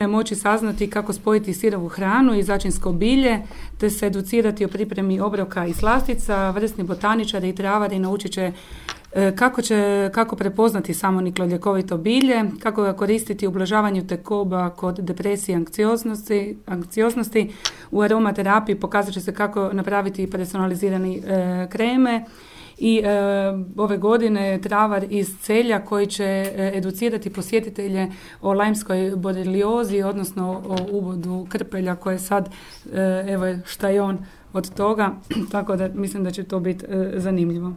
moći saznati kako spojiti sirovu hranu i začinsko bilje, te se educirati o pripremi obroka i slastica. Vrsni botaničari i travari naučit će kako prepoznati samoniklo ljekovito bilje, kako ga koristiti u ublažavanju tegoba kod depresije i anksioznosti. U aromaterapiji pokazat će se kako napraviti personalizirani kreme. I ove godine travar iz Celja koji će educirati posjetitelje o lajmskoj boreliozi, odnosno o uvodu krpelja koje sad, evo šta je on od toga, tako da mislim da će to biti zanimljivo.